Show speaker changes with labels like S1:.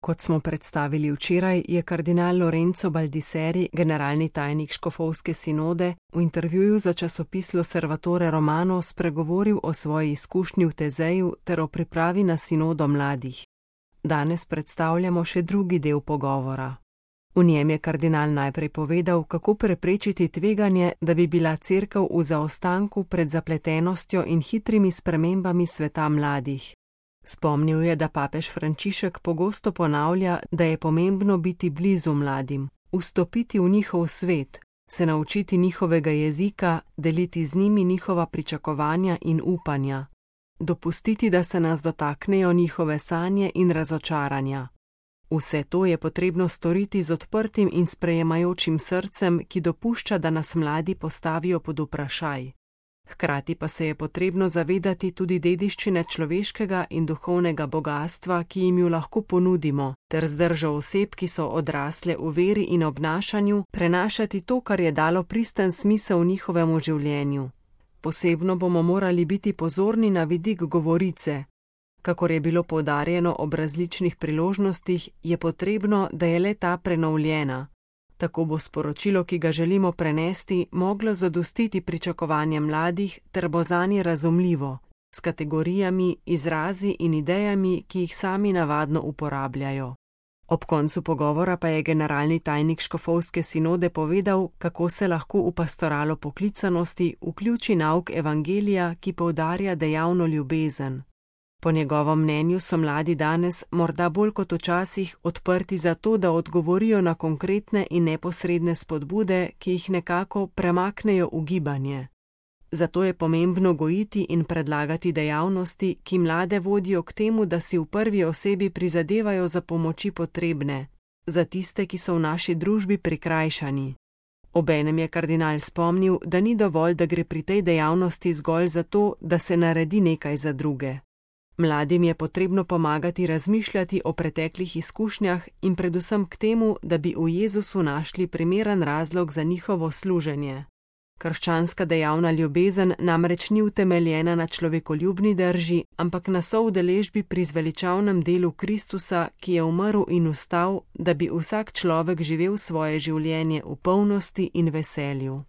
S1: Kot smo predstavili včeraj, je kardinal Lorenzo Baldisseri, generalni tajnik škofovske sinode, v intervjuju za časopis L'Osservatore Romano spregovoril o svoji izkušnji v Tezeju ter o pripravi na sinodo mladih. Danes predstavljamo še drugi del pogovora. V njem je kardinal najprej povedal, kako preprečiti tveganje, da bi bila cerkev v zaostanku pred zapletenostjo in hitrimi spremembami sveta mladih. Spomnil je, da papež Frančišek pogosto ponavlja, da je pomembno biti blizu mladim, vstopiti v njihov svet, se naučiti njihovega jezika, deliti z njimi njihova pričakovanja in upanja, dopustiti, da se nas dotaknejo njihove sanje in razočaranja. Vse to je potrebno storiti z odprtim in sprejemajočim srcem, ki dopušča, da nas mladi postavijo pod vprašaj. Hkrati pa se je potrebno zavedati tudi dediščine človeškega in duhovnega bogastva, ki jim jo lahko ponudimo, ter z držo oseb, ki so odrasle v veri in obnašanju, prenašati to, kar je dalo pristen smisel njihovemu življenju. Posebno bomo morali biti pozorni na vidik govorice. Kakor je bilo poudarjeno ob različnih priložnostih, je potrebno, da je le ta prenovljena. Tako bo sporočilo, ki ga želimo prenesti, moglo zadostiti pričakovanjem mladih ter bo zanje razumljivo, s kategorijami, izrazi in idejami, ki jih sami navadno uporabljajo. Ob koncu pogovora pa je generalni tajnik škofovske sinode povedal, kako se lahko v pastoralo poklicanosti vključi nauk evangelija, ki poudarja dejavno ljubezen. Po njegovem mnenju so mladi danes, morda bolj kot včasih, odprti za to, da odgovorijo na konkretne in neposredne spodbude, ki jih nekako premaknejo v gibanje. Zato je pomembno gojiti in predlagati dejavnosti, ki mlade vodijo k temu, da si v prvi osebi prizadevajo za pomoči potrebne, za tiste, ki so v naši družbi prikrajšani. Obenem je kardinal spomnil, da ni dovolj, da gre pri tej dejavnosti zgolj za to, da se naredi nekaj za druge. Mladim je potrebno pomagati razmišljati o preteklih izkušnjah in predvsem k temu, da bi v Jezusu našli primeren razlog za njihovo služenje. Krščanska dejavna ljubezen namreč ni utemeljena na človekoljubni drži, ampak na soudeležbi pri zveličavnem delu Kristusa, ki je umrl in vstal, da bi vsak človek živel svoje življenje v polnosti in veselju.